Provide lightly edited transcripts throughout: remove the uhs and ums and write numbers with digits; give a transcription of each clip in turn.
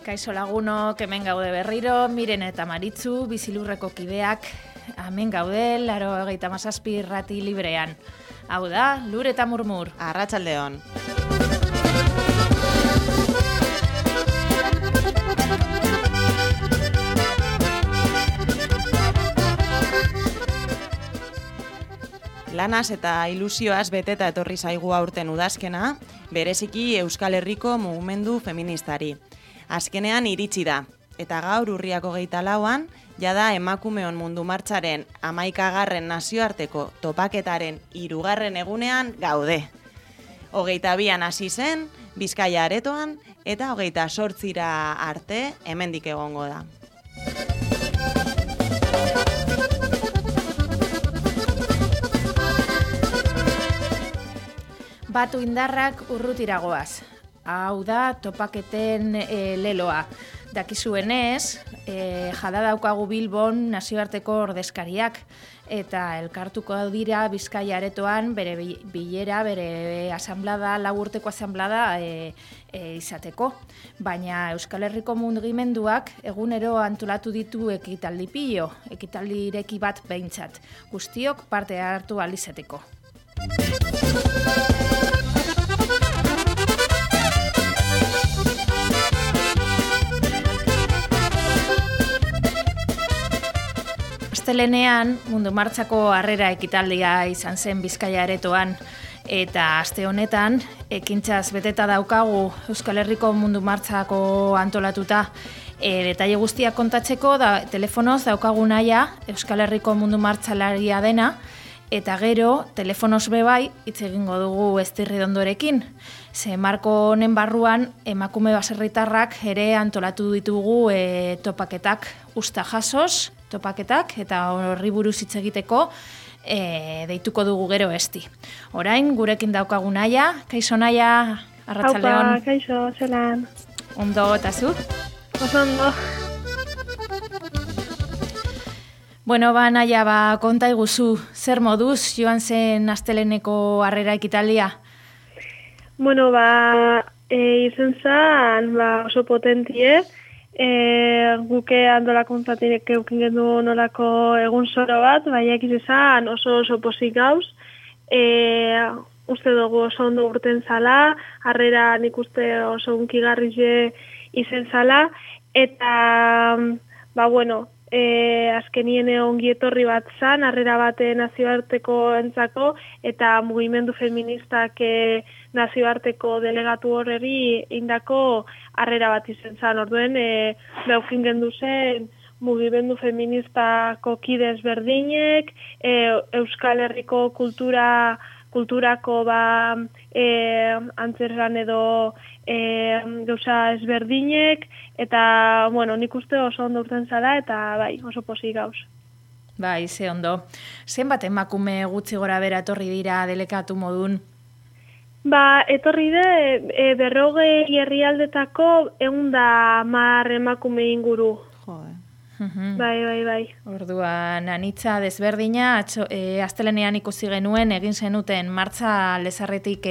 Kaixo lagunok, hemen gaude berriro, Miren eta Maritzu, Bizilurreko kideak, hemen gaude, 97 irrati librean. Hau da, Lur eta Murmur. Arratsaldeon. Lanaz eta ilusioaz beteta etorri zaigu aurten udazkena, bereziki Euskal Herriko mugimendu feministari. Azkenean iritsi da, eta gaur urriak 24an, jada emakumeon mundu martxaren 11. nazioarteko topaketaren 3. egunean gaude. 22an hasi zen, Bizkaia aretoan, eta 28ra arte hemendik egongo da. Batu indarrak urrutiragoaz. Hau da, topaketen leloa. Dakizuenez, jada daukagu Bilbon nazioarteko ordezkariak, eta elkartuko dira Bizkaia aretoan bere bilera, bere asanblada, 4 urteko asanblada izateko. Baina Euskal Herriko mugimenduak egunero antolatu ditu ekitaldi pilo, ekitaldi ireki bat behintzat. Guztiok parte hartu ahal izateko. Astelenean mundu martxako harrera ekitaldia izan zen Bizkaia aretoan, eta aste honetan ekintzaz beteta daukagu Euskal Herriko mundu martxako antolatuta. Detaile guztiak kontatzeko telefonoz daukagu naia Euskal Herriko mundu martxalaria dena, eta gero telefonoz bebai hitz egingo dugu Estirridondorekin. Ze marko honen barruan emakume baserritarrak ere antolatu ditugu topaketak, usta jasoz, topaketak, eta horri buruz hitz egiteko deituko dugu gero esti. Orain, gurekin daukagu Naia. Kaixo Naia, arratsaldeon. Haupa, kaixo, zelan. Ondo, eta zu? Oso ondo. Bueno, Naia, konta iguzu, zer moduz joan zen asteleneko harrera ekitaldia? Bueno, izen zan, oso potentie, guke antolakuntzatik eukin gendu nolako egun zoro bat, baiak izan oso posik gauz, uste dugu oso ondo urten zala, harrera nik uste oso unkigarrize izen zala, eta, azkenien ongi etorri bat zan, harrera bate nazioarteko entzako, eta mugimendu feministak nazioarteko delegatu horreri indako harrera bat izen zan. Orduen, beukin gendu zen mugimendu feministako kidez berdinek, Euskal Herriko kulturako antzerran edo gauza ezberdinek, eta, nik uste oso ondo urten zala, eta oso posik gauz. Ze ondo. Zenbat emakume gutxi gora bera etorri dira delegatu modun? Etorri de 40 herrialdetako 110 emakume inguru. Bai. Orduan, anitza desberdina, astelenean ikusi genuen, egin zenuten martxa lezarretik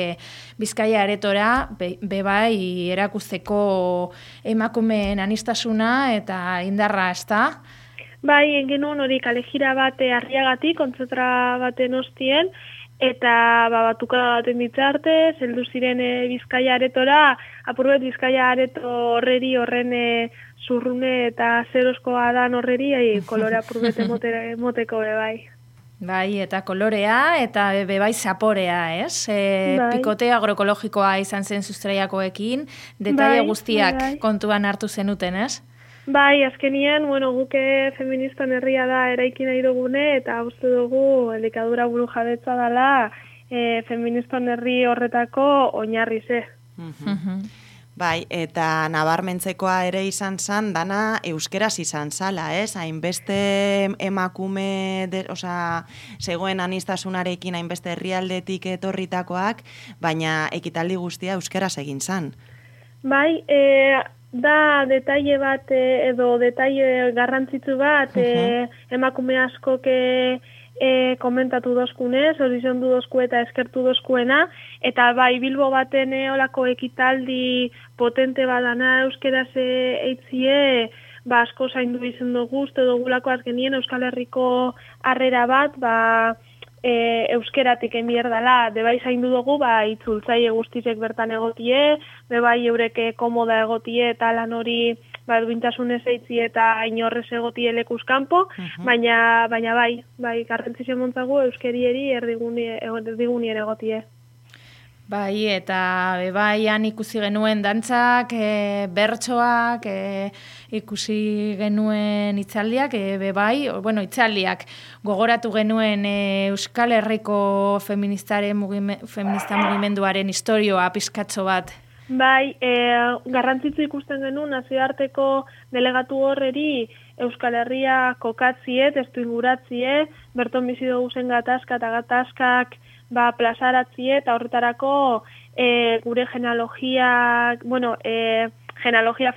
Bizkaia aretora, bebai erakusteko emakumeen anistasuna eta indarra, ezta? Egin genuen hori kalejira bat Arriagatik, kontzentra baten ostien, eta batuka baten ditzarte, zeldu ziren Bizkaia aretora, apurbet Bizkaia areto horreri horren zurrune eta zeroskoa dan horreri, kolore apurbete moteko bebai. Eta kolorea, eta bebai zaporea, ez? Pikote agroekologikoa izan zen sustraiakoekin, detaile guztiak kontuan hartu zenuten, ez? Azkenien, guke feministan herria da eraiki nahi dugune, eta uste dugu elikadura buru jabetza dela feministan herri horretako oinarri ze. Eta nabarmentzekoa ere izan zan, dana euskeraz izan zala, ez? Hainbeste emakume, zegoen anistasunarekin hainbeste herrialdetik etorritakoak, baina ekitaldi guztia euskeraz egin zan. Da detaile bat edo detaile garrantzitsu bat emakume askok komentatu dozkunez, horizontu dozku eta eskertu dozkuena, eta bai Bilbo baten olako ekitaldi potente badana euskeraz eitzie, asko zaindu izen dugu, uste dugulako azkenien Euskal Herriko harrera bat, euskeratik enbierdala, bebai zaindu dugu, itzultzaile guztizek bertan egotie, bebai eureke komoda egotie eta lan hori duintasunez eitzi eta inorrez egotie lekuz kanpo, baina bai, garrantzizio montzagu euskerieri erdigunien egotie. Bai, eta bebaian ikusi genuen dantzak, bertsoak, ikusi genuen itzaldiak, itzaldiak gogoratu genuen Euskal Herriko feminista mugimenduaren historioa pizkatxo bat. Bai, garrantzitsu ikusten genuen nazioarteko delegatu horreri Euskal Herria kokatzie, testu inguratzie, berton bizi dugu zen gatazka eta gatazkak plazaratzie eta horretarako gure genealogia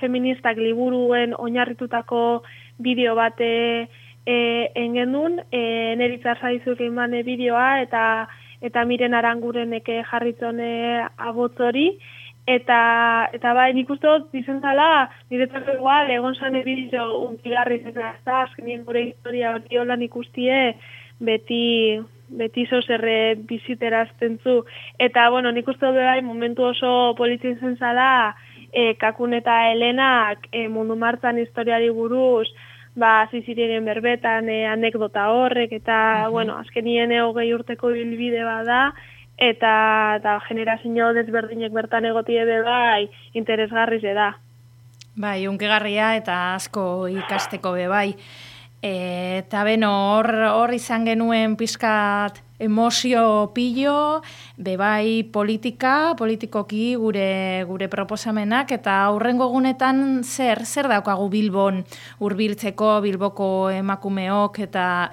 feministak liburuen oinarritutako bideo bat engendun, Neritza Zaizuek eman bideoa eta Miren Arangurenek jarritzone abotzori, eta bai, nik uste dut dizentzala, niretzako igual, egon zane bideo untigarri zena, azkenien gure historia hori holan ikustie, beti zozerre biziterazten zu. Eta, nik uste dut bai, momentu oso politzen zen zala, Kakun eta Helenak mundu martzan historiari buruz, zizirien berbetan anekdota horrek, eta, azkenien 20 urteko bilbide bada, eta generazio desberdinek bertan egotie bai, interesgarri da. Bai, unkegarria eta asko ikasteko bai. Eta hor izan genuen pizkat emozio pillo, bai politikoki gure proposamenak, eta aurrengo egunetan zer daukagu Bilbon hurbiltzeko, Bilboko emakumeok eta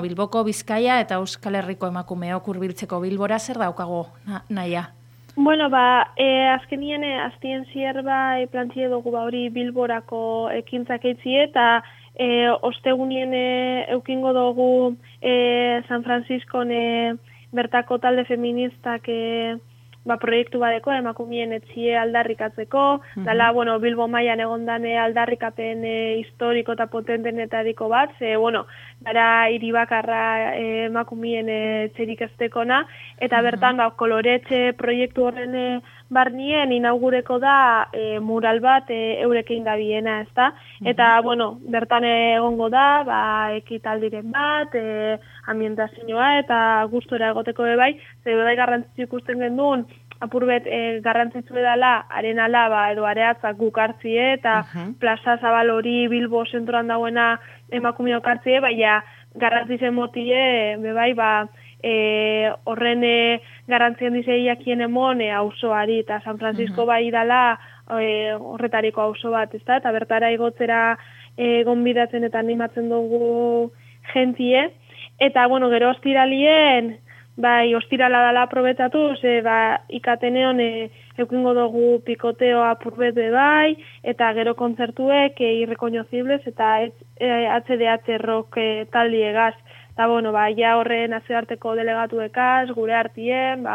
Bilboko Bizkaia eta Euskal Herriko emakumeok hurbiltzeko Bilbora zer daukagu naia? Azkenien aztien zier plantzie dugu hori Bilborako ekintzak eitzie eta ostegunien eukingo dugu San Franciscon bertako talde feministak proiektu badeko, emakumeen etzie aldarrikatzeko, dala, Bilbo mailan egondane aldarrikapen historiko eta potentenetariko bat, gara hiribakarra emakumeen etxerik estekona, eta bertan koloretxe proiektu horren barnien inaugureko da mural bat eurekin da biena, ezta? Eta, bertan egongo da, ekitaldiren bat, ambientazioa eta gustora egoteko bai, bai garrantzitsu ikusten genduen, apurbet garrantzitsu edala, arenala edo areatzak gukartzie eta plaza zabal hori Bilbo zentroan dagoena emakumeok hartzie, baina garrantzitsen motie, bai, horren garrantzien dizeiakien emon auzoari eta San Francisco bai dala horretariko auzo bat, ezta? Eta bertara igotzera gonbidatzen eta animatzen dugu jentie. Eta, gero ostiralien, ostirala dala aprobetatu, ikateneon eukingo dugu pikoteo apurbet bai, eta gero kontzertuek irrekonozibles eta HDH rock taldiegaz. Eta, ja horre nazioarteko delegatuekaz, gure hartien,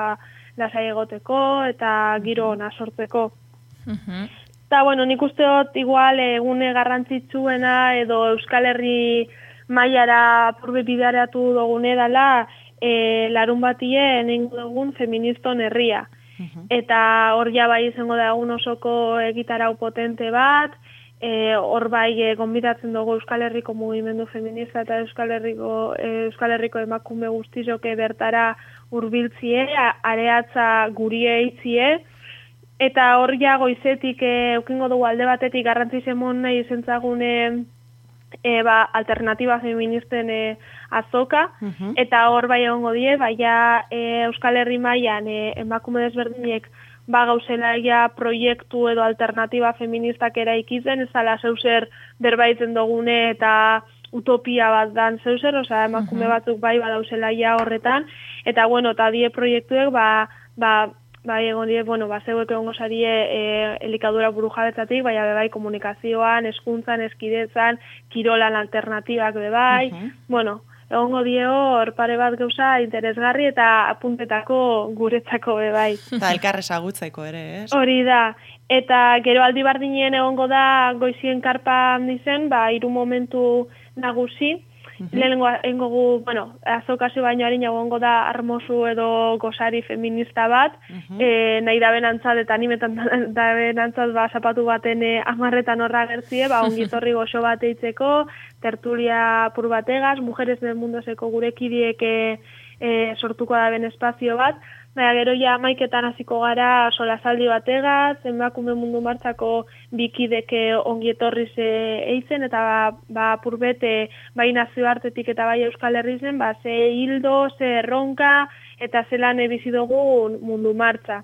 lasai egoteko eta giro ona sortzeko. Eta, nik uste dut igual egune garrantzitsuena edo Euskal Herri mailara apurbe bidearatu dugune dela larun batien egingo dugun feministon herria. Eta hor bai izango da egun osoko egitarau potente bat, hor bai gonbidatzen dugu Euskal Herriko mugimendu feminista eta Euskal Herriko emakume guztizoke bertara hurbiltzie, areatza guri eitzie, eta hor goizetik eukingo dugu alde batetik garrantzizemon nahi izentzagune alternatiba feministen azoka, eta hor bai egongo die, Euskal Herri mailan emakume desberdinek gauzela proiektu edo alternatiba feministak eraikitzen, ez ala zeuser berbaitzen dugune eta utopia bat dan zeuser, emakume batzuk bai badauzela horretan, eta eta die proiektuek egon die, zeuek egongo zarie elikadura burujabetzatik, bai komunikazioan, hezkuntzan, eskidetzan, kirolan alternatibak bai, egongo dio hor pare bat gauza interesgarri eta apuntetako guretzako bai. Eta elkar ezagutzeko ere, ez? Hori da. Eta gero aldi bardinen egongo da goizien karpa handizen, 3 momentu nagusi. Lehenengo engogu, azokazio baino harin egongo da armozu edo gozari feminista bat, nahi da benantzat eta animetan da benantzat zapatu baten 10 horra gertzie, ongitorri goxo bat eitzeko, tertulia pur bategaz, mujeres del mundoseko gure kidiek sortuko da ben espazio bat, gero ja 11etan hasiko gara solasaldi bategaz, emakume mundu martzako bikideke ongi etorriz eitzen, eta purbete bai nazioartetik eta bai Euskal Herrizen, ze hildo, ze erronka, eta zelan bizi dugu mundu martza.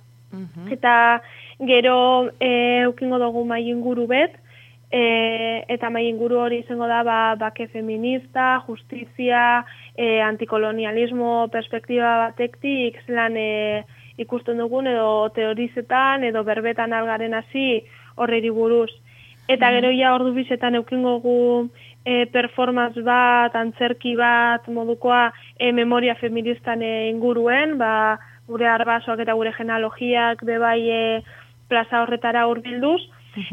Eta gero eukingo dugu mai inguru bet, eta mai inguru hori izango da bake feminista, justizia, antikolonialismo perspektiba batektik zelan ikusten dugun edo teorizetan edo berbetan algaren hasi horreri buruz. Eta gero ja ordu bizetan eukingo gu performance bat, antzerki bat modukoa memoria feministan inguruen, gure arbasoak eta gure genealogiak bebai plaza horretara hurbilduz.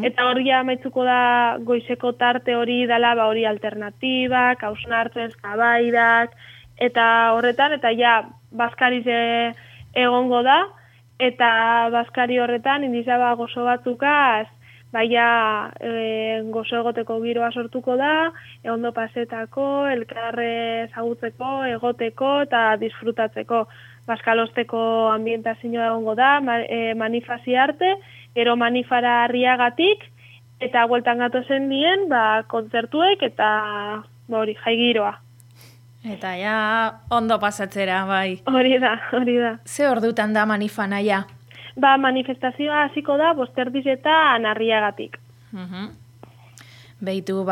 Eta hori amaitzuko da goizeko tarte hori dela hori alternatibak, hausnartzen, eztabaidak, eta horretan, eta ja, bazkariz egongo da, eta bazkari horretan indizaba gozo batzukaz, gozo egoteko giroa sortuko da, ondo pasetako, elkarre ezagutzeko, egoteko eta disfrutatzeko. Bazkalosteko ambientazioa egongo da, manifasi arte, gero manifara Arriagatik, eta bueltan gatozen dien, kontzertuek eta jaigiroa. Eta ja, ondo pasatzera, bai. Hori da. Ze ordutan da manifana ja? Manifestazioa hasiko da, 5:00 Arriagatik. Beitu,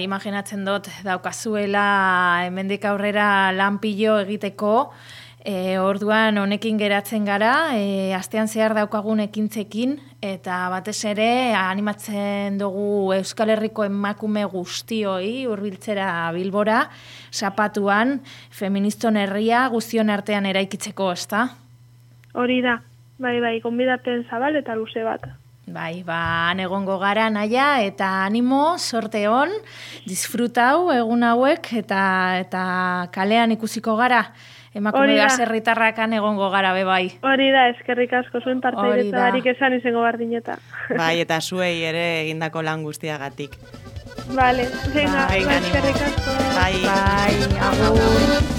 imaginatzen dut daukazuela hemendik aurrera lanpillo egiteko, orduan honekin geratzen gara, astean zehar daukagun ekintzekin, eta batez ere animatzen dugu Euskal Herriko emakume guztioi hurbiltzera Bilbora, zapatuan, feministon herria guztion artean eraikitzeko, ezta? Hori da, bai, gonbidapen zabal eta luze bat. Bai, han egongo gara naia, eta animo, sorte hon, disfrutau egun hauek, eta kalean ikusiko gara. Emakume baserritarrakan egongo gara, bai. Hori da, eskerrik asko zuen parteiretzarik esan izango bardineta. Bai, eta zuei ere egindako lan guztiagatik. Vale, venga, eskerrik asko. Bai, agur.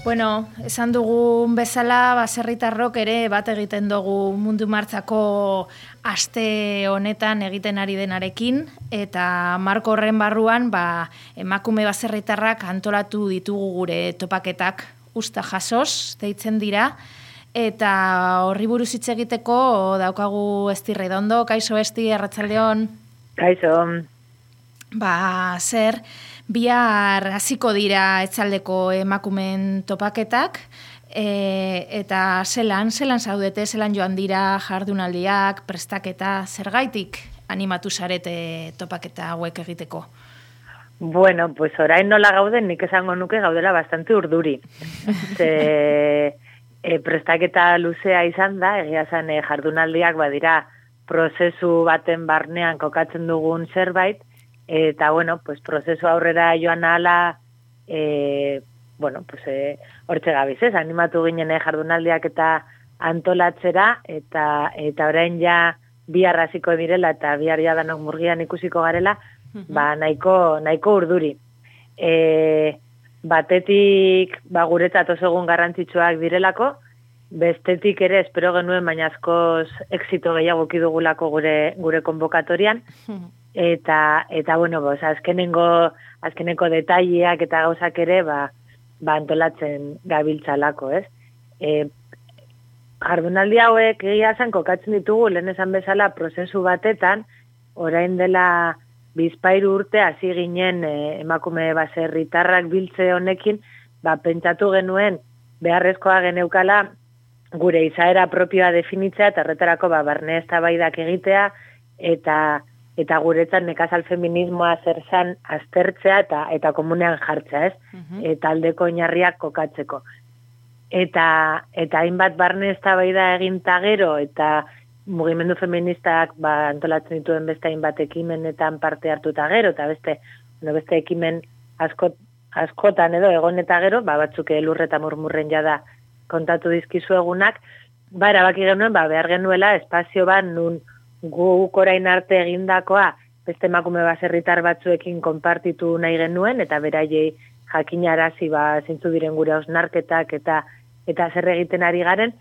Bueno, esan dugun bezala, baserritarrok ere bat egiten dugu mundu martzako aste honetan egiten ari denarekin, eta marko horren barruan emakume baserritarrak antolatu ditugu gure topaketak usta jasoz, deitzen dira, eta horri buruz hitz egiteko daukagu Esti Redondo. Kaixo Esti, arratsaldeon. Kaixo. Zer, bihar hasiko dira etzaldeko emakumen topaketak, eta zelan zaudete, zelan joan dira jardunaldiak, prestaketa, zergaitik animatu zarete topaketa hauek egiteko? Bueno, pues orain nola gauden, nik esango nuke gaudela bastante urduri. Prestaketa luzea izan da, egia zen jardunaldiak badira prozesu baten barnean kokatzen dugun zerbait, eta, pues, prozesu aurrera joan ahala, hortxe gabiz, animatu ginen jardunaldiak eta antolatzera, eta orain ja bihar hasiko direla, eta bihar ja danok murgian ikusiko garela, nahiko urduri. Batetik, guretzat oso egun garrantzitsuak direlako, bestetik ere espero genuen, baina askoz exito gehiago kidugulako gure konbokatorian, eta azkeneko detaileak eta gauzak ere antolatzen gabiltzalako, ez? Jardunaldi hauek egia zen kokatzen ditugu, lehen esan bezala prozesu batetan, orain dela 2 urte hasi ginen emakume baserritarrak biltze honekin, pentsatu genuen beharrezkoa geneukala gure izaera propioa definitzea, eta horretarako barne eztabaidak egitea, eta eta guretzat nekazal feminismoa zer zan aztertzea eta komunean jartzea, ez? Taldeko oinarriak kokatzeko. Eta hainbat barne eztabaida egin ta gero, eta mugimendu feministak antolatzen dituen beste hainbat ekimenetan parte hartu ta gero, eta beste ekimen askotan edo egon eta gero, batzuk elur eta murmurren jada kontatu dizkizu egunak, erabaki genuen, behar genuela espazio bat nun guk orain arte egindakoa beste emakume baserritar batzuekin konpartitu nahi genuen, eta beraiei jakinarazi zeintzu diren gure hausnarketak eta zer egiten ari garen,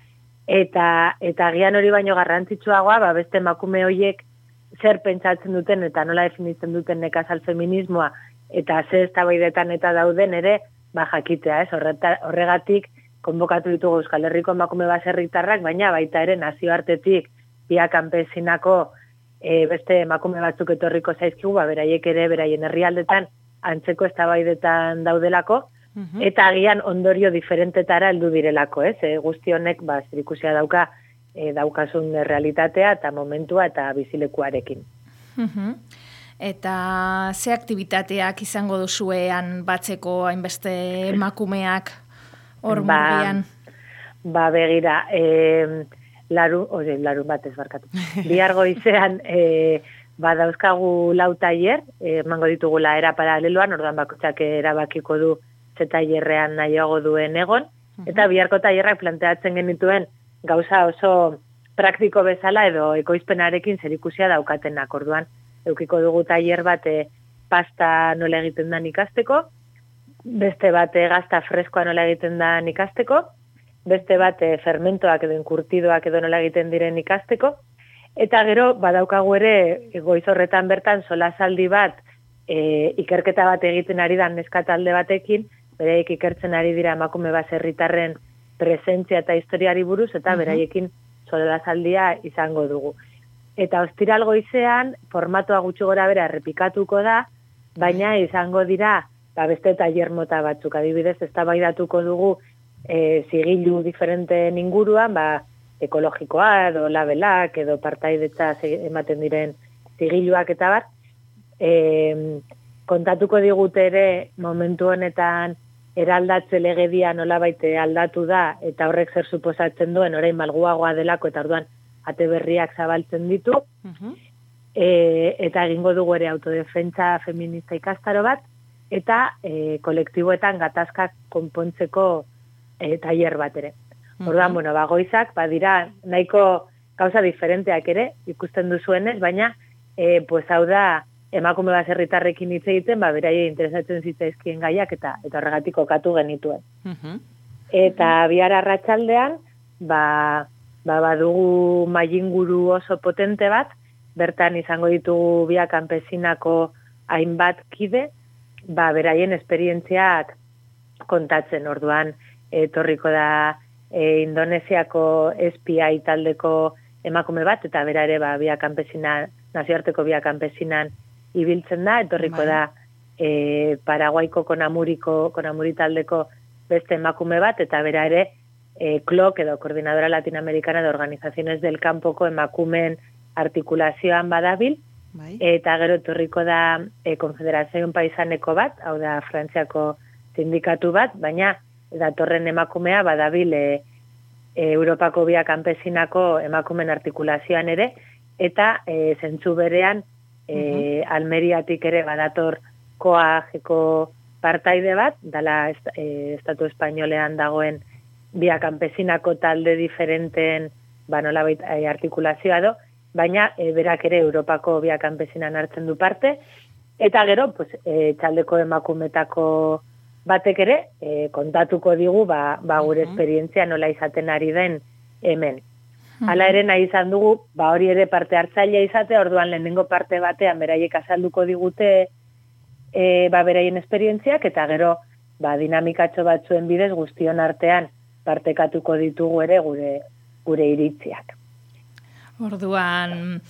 eta gian hori baino garrantzitsuagoa, beste emakume horiek zer pentsatzen duten eta nola definitzen duten nekazal feminismoa, eta ze eztabaidetan eta dauden ere, jakitea, ez? Horregatik konbokatu ditugu Euskal Herriko emakume baserritarrak, baina baita ere nazioartetik Via Campesinako beste emakume batzuk etorriko zaizkigu, beraiek ere beraien herrialdetan antzeko eztabaidetan daudelako, eta agian ondorio diferentetara heldu direlako, ez? Guzti honek zerikusia daukasun realitatea eta momentua eta bizilekuarekin. Eta ze aktibitateak izango duzuean batzeko hainbeste emakumeak hor murgian? Begira, larun batez barkatu. Bihar goizean dauzkagu 4 tailer, emango ditugula era paraleloan, orduan bakoitzak erabakiko du ze tailerrean nahiago duen egon, eta biharko tailerrak planteatzen genituen gauza oso praktiko bezala edo ekoizpenarekin zerikusia daukatenak, orduan eukiko dugu tailer bat pasta nola egiten da ikasteko, beste bat gazta freskoa nola egiten da ikasteko, beste bat fermentoak edo inkurtidoak edo nola egiten diren ikasteko, eta gero badaukagu ere goiz horretan bertan solasaldi bat ikerketa bat egiten ari da neska talde batekin, beraiek ikertzen ari dira emakume baserritarren presentzia eta historiari buruz, eta beraiekin solasaldia izango dugu. Eta ostiral goizean, formatua gutxi gora bera errepikatuko da, baina izango dira beste tailer mota batzuk, adibidez, eztabaidatuko dugu zigilu diferenteen inguruan, ekologikoa edo labelak edo partaidetza ematen diren zigiluak eta bar, kontatuko digute ere momentu honetan eraldatze legedia nolabait aldatu da eta horrek zer suposatzen duen orain malguagoa delako eta orduan ate berriak zabaltzen ditu, eta egingo dugu ere autodefentsa feminista ikastaro bat, eta kolektiboetan gatazkak konpontzeko tailer bat ere. Orduan, goizak, dira nahiko gauza diferenteak ere, ikusten duzuenez, baina, hau da, emakume baserritarrekin hitz egiten, beraie interesatzen zitzaizkien gaiak, eta horregatik kokatu genituen. Eta bihar arratsaldean, badugu mailinguru oso potente bat, bertan izango ditugu Via Campesinako hainbat kide, beraien esperientziak kontatzen, orduan, etorriko da Indonesiako SPI taldeko emakume bat, eta bera ere Via Campesina, nazioarteko Via Campesinan ibiltzen da, etorriko da Paraguaiko Konamuri taldeko beste emakume bat, eta bera ere CLOC edo Coordinadora Latinoamericana de Organizaciones del Campoko emakumeen artikulazioan badabil, eta gero etorriko da Konfederazioen Paisaneko bat, hau da Frantziako sindikatu bat, baina datorren emakumea badabil Europako Via Campesinako emakumen artikulazioan ere, eta zentzu berean Almeriatik ere badator koajeko partaide bat, dala Estatu Espainolean dagoen Via Campesinako talde diferenten nolabait artikulazioa do, baina berak ere Europako Via Campesinan hartzen du parte, eta gero txaldeko emakumetako batek ere, kontatuko digu gure esperientzia nola izaten ari den hemen. Hala ere nahi izan dugu, hori ere parte hartzailea izate, orduan lehenengo parte batean beraiek azalduko digute beraien esperientziak, eta gero dinamikatxo batzuen bidez guztion artean partekatuko ditugu ere gure iritziak. Orduan,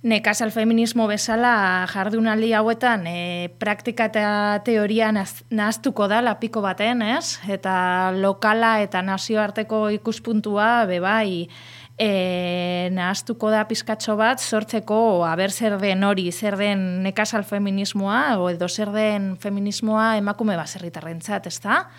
nekazal feminismo bezala jardunaldi hauetan praktika eta teoria nahaztuko da lapiko baten, ez? Eta lokala eta nazioarteko ikuspuntua bebai nahaztuko da pizkatxo bat, sortzeko aber zer den hori, zer den nekazal feminismoa, edo zer den feminismoa emakume baserritarrentzat, ezta?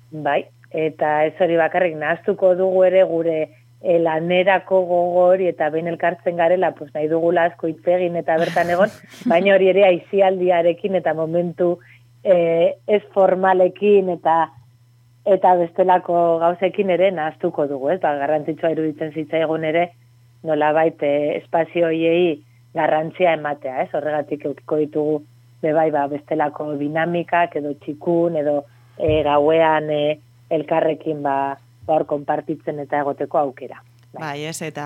Bai, eta ez hori bakarrik nahaztuko dugu ere gure lanerako gogori eta behin elkartzen garela, pues nahi dugula asko hitz egin eta bertan egon, baina hori ere aisialdiarekin eta momentu ez formalekin eta bestelako gauzekin ere nahaztuko dugu, ez? Ba, garrantzitsua iruditzen zitzaigun ere nolabait espazio hoiei garrantzia ematea, ez? Horregatik eukiko ditugu bebai bestelako dinamikak edo txikun edo gauean elkarrekin hor konpartitzen eta egoteko aukera. Bai, ez, eta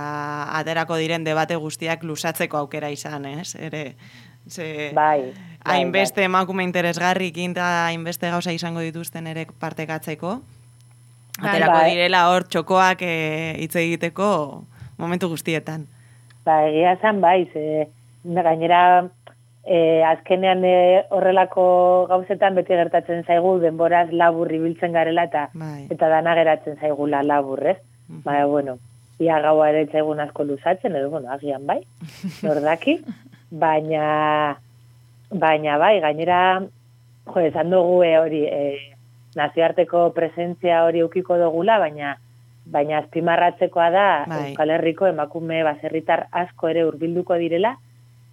aterako diren debate guztiak lusatzeko aukera izan, ez? Ere, bai, hainbeste emakume interesgarrikin eta hainbeste gauza izango dituzten ere partekatzeko. Aterako direla hor txokoak hitz egiteko momentu guztietan. Ba, egia zan, bai, gainera azkenean horrelako gauzetan beti gertatzen zaigu denboraz labur ibiltzen garela eta dana geratzen zaigula laburrez. Baina, bueno, ia gaua ere zaigun asko luzatzen, edo, bueno, agian bai, nordaki. Baina bai, gainera, esan dugu hori, nazioarteko presentzia hori eukiko dugula, baina azpimarratzekoa da Euskal Herriko emakume baserritar asko ere hurbilduko direla,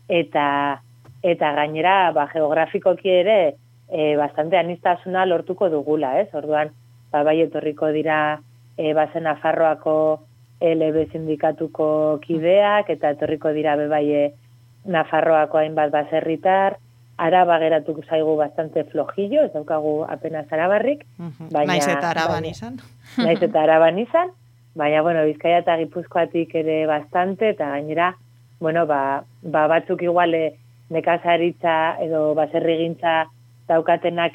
eta gainera, geografikoki ere, bastante aniztasuna lortuko dugula, ez? Orduan, bai etorriko dira bazen Nafarroako LB sindikatuko kideak, eta etorriko dira bebai Nafarroako hainbat baserritar, Araba geratuko zaigu bastante flojillo, ez daukagu apenas arabarrik. Naiz eta Araban izan. Naiz eta Araban izan, baina, bueno, Bizkaia eta Gipuzkoatik ere bastante, eta gainera, bueno, batzuk igual nekazaritza edo baserrigintza daukatenak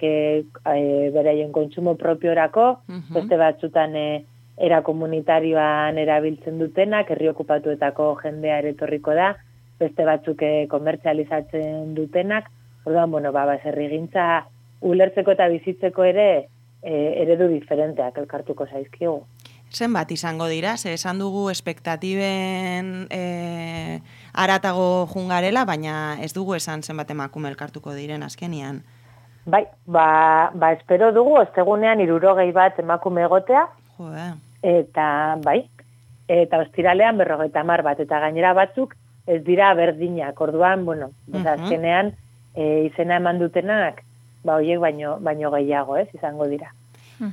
beraien kontsumo propiorako, beste batzutan era komunitarioan erabiltzen dutenak, herri okupatuetako jendea ere etorriko da, beste batzuk komertzializatzen dutenak, orduan, bueno, baserrigintza ulertzeko eta bizitzeko ere eredu diferenteak elkartuko zaizkigu. Zenbat izango dira, esan dugu espektatiben aratago jungarela, baina ez dugu esan zenbat emakume elkartuko diren azkenian. Bai, espero dugu, ostegunean 60 bat emakume egotea, eta bai, eta ostiralean 50 bat, eta gainera batzuk ez dira berdinak, orduan, bueno, azkenean izena eman dutenak, horiek baino gehiago, ez, izango dira.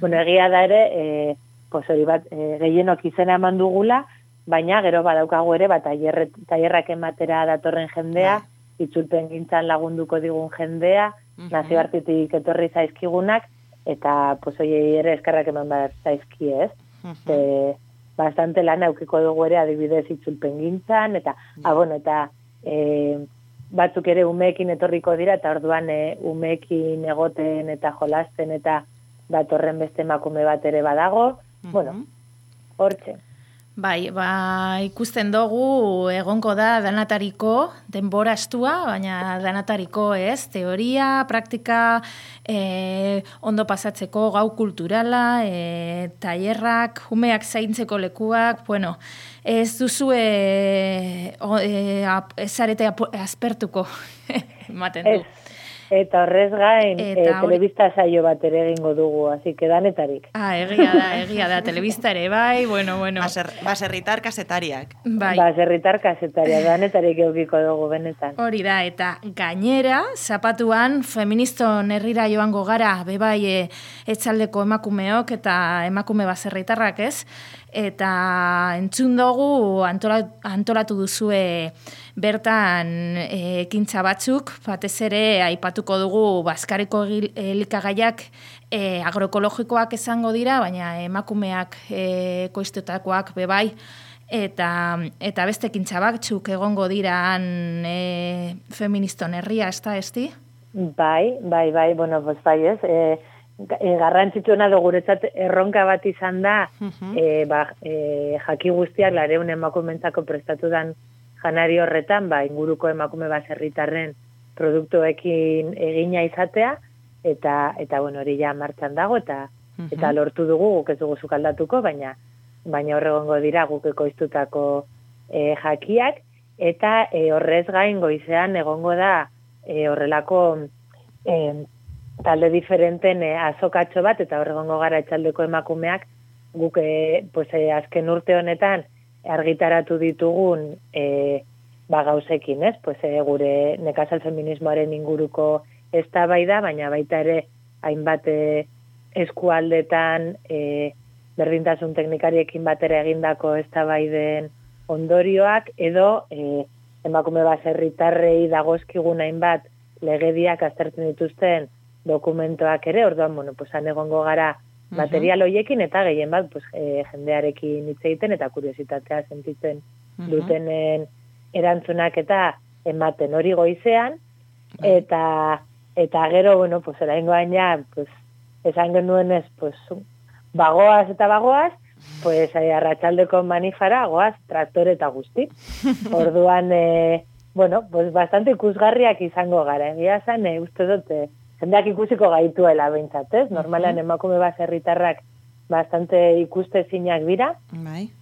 Bueno, egia da ere, hori bat, gehienok izena eman dugula, baina gero badaukagu ere, tailerrak ematera datorren jendea, itzulpen gintzan lagunduko digun jendea, nazioartetik etorri zaizkigunak, eta hori ere eskerrak eman bat zaizki, ez? Bastante lan aukiko dugu ere adibidez itzulpen gintzan, eta batzuk ere umeekin etorriko dira, eta orduan umeekin egoten eta jolasten eta datorren beste emakume bat ere badago, bueno, hortxe. Bai, ikusten dugu egonko da danatariko denbora estua, baina danatariko ez, teoria, praktika, ondo pasatzeko gau kulturala, tailerrak, umeak zaintzeko lekuak, bueno, ez duzu ezarete aspertuko, ematen du. Eta horrez gain, telebista saio bat ere egingo dugu, así que danetarik. Egia da, telebista ere, bai, bueno. Baserritar kasetariak. Bai. Baserritar kasetariak, danetarik eukiko dugu, benetan. Hori da, eta gainera, zapatuan, feministon herrira joango gara, bebai, etxaldeko emakumeok eta emakume baserritarrak, ez? Eta entzun dugu antolatu duzue bertan ekintza batzuk, batez ere aipatuko dugu bazkariko elikagaiak agroekologikoak izango dira, baina emakumeak ekoiztutakoak bebai, eta beste ekintza batzuk egongo dira feministon herria, ez da, esti? Bai, bueno, bai ez, garrantzitsuena da guretzat erronka bat izan da, jaki guztiak lareun emakumentzako prestatu dan janari horretan, inguruko emakume baserritarren produktuekin egina izatea, eta bueno, hori ja martxan dago, eta lortu dugu, guk ez dugu zukaldatuko, baina baina horregongo dira guk ekoiztutako jakiak, eta horrez gain goizean egongo da horrelako talde diferenten azokatxo bat, eta horregongo gara etxaldeko emakumeak guk azken urte honetan argitaratu ditugun gauzekin, ez? Gure nekazal feminismoaren inguruko eztabaida, baina baita ere hainbat eskualdetan berdintasun teknikariekin batera egindako eztabaiden ondorioak, edo emakume baserritarrei dagozkigun hainbat legediak aztertzen dituzten dokumentoak ere, orduan, han egongo gara material horiekin, eta gehien bat jendearekin hitz egiten eta kuriositatea sentitzen dutenen erantzunak eta ematen hori goizean, eta gero, oraingoan ja, esan genuenez, bagoaz eta bagoaz, arratsaldeko manifara goaz traktore eta guzti. Orduan, bastante ikusgarriak izango gara. Egia zan, uste dut, jendeak ikusiko gaituela behintzat, ez? Normalan emakume baserritarrak bastante ikustezinak dira,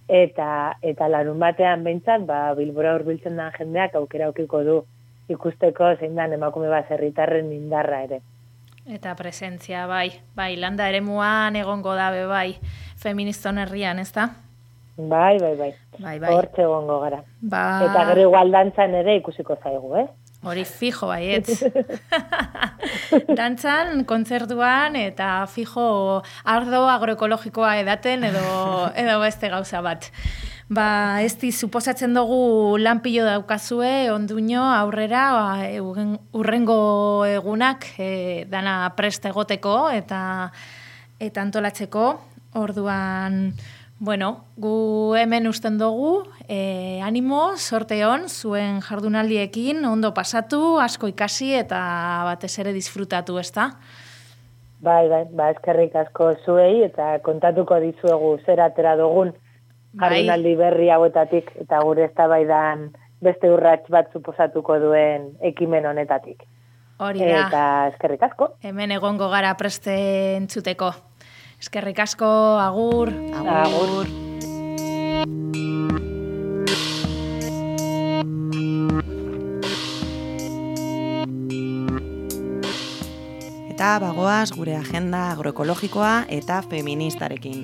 eta larun batean behintzat, Bilbora hurbiltzen den jendeak aukera aukiko du ikusteko zein dan emakume baserritarren indarra ere. Eta presentzia, bai, landa eremuan egongo dabe, bai, feministon herrian, ez da? Bai. Hortxe egongo gara. Eta gero igual dantzan ere ikusiko zaigu, Hori fijo, baietz. Dantzan, kontzertuan, eta fijo ardo agroekologikoa edaten edo beste gauza bat. Ez suposatzen dugu lanpilo daukazue, onduño, aurrera, urrengo egunak dana prest egoteko eta antolatzeko. Orduan, gu hemen usten dugu, animo, sorte hon, zuen jardunaldiekin, ondo pasatu, asko ikasi eta batez ere disfrutatu, ez da? Bai, eskerrik asko zuei, eta kontatuko dizuegu zer atera dugun jardunaldi berri hauetatik, eta gure eztabaidan beste urrats bat suposatuko duen ekimen honetatik. Hori da. Eta eskerrik asko. Hemen egongo gara preste entzuteko. Eskerrik asko, agur. Agur. Eta bagoaz gure agenda agroekologikoa eta feministarekin.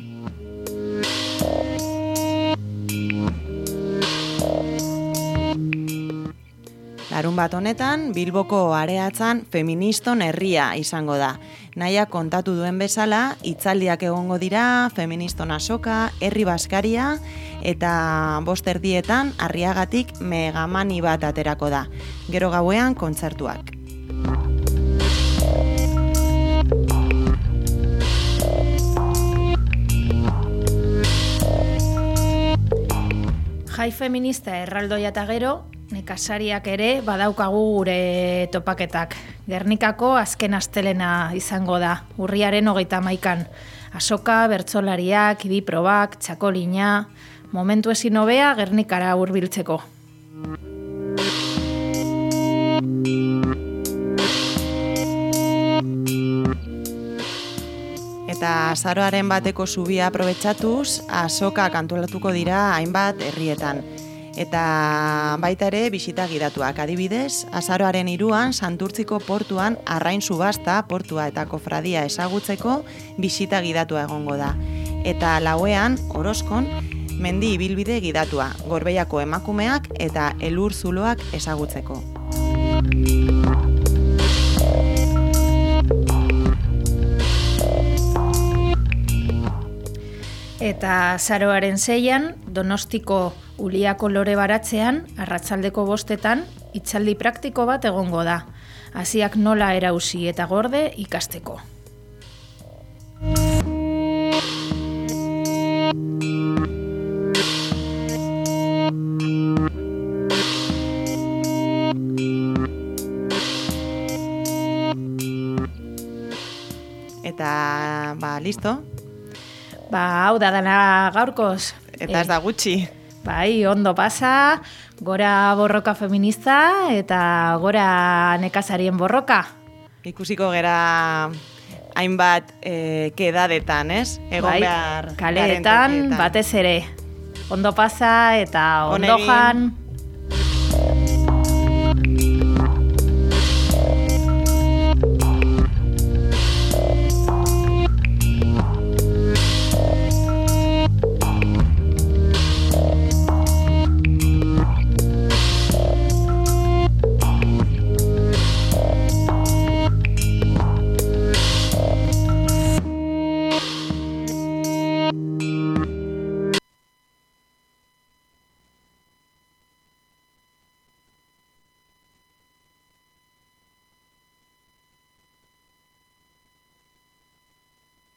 Larun bat honetan, Bilboko areatzan feministon herria izango da. Naia kontatu duen bezala, hitzaldiak egongo dira, feministon azoka, herri baskaria, eta 5:00 Arriagatik megamani bat aterako da. Gero gauean kontzertuak. Jai feminista erraldoia eta gero, nekazariak ere badaukagu gure topaketak. Gernikako azken astelena izango da, urriaren 31. Azoka, bertsolariak, idiprobak, txakolina, momentu ezin hobea Gernikara hurbiltzeko. Eta azaroaren bateko zubia aprobetxatuz, azoka antolatuko dira hainbat herrietan. Eta baita ere bisita gidatuak. Adibidez, azaroaren 3 Santurtziko portuan arrain subasta, portua eta kofradia ezagutzeko bisita gidatua egongo da. Eta 4 Orozkon mendi ibilbide gidatua, Gorbeiako emakumeak eta elur zuloak ezagutzeko. Eta azaroaren 6 Donostiko Uliako lore baratzean, arratsaldeko 5 hitzaldi praktiko bat egongo da. Hasiak nola erausi eta gorde ikasteko. Eta, listo. Hau da dana gaurkoz. Eta ez da gutxi. Bai, ondo pasa, gora borroka feminista eta gora nekazarien borroka. Ikusiko gera hainbat kedadetan, ez? Egon behar kaleetan, batez ere. Ondo pasa eta ondo jan.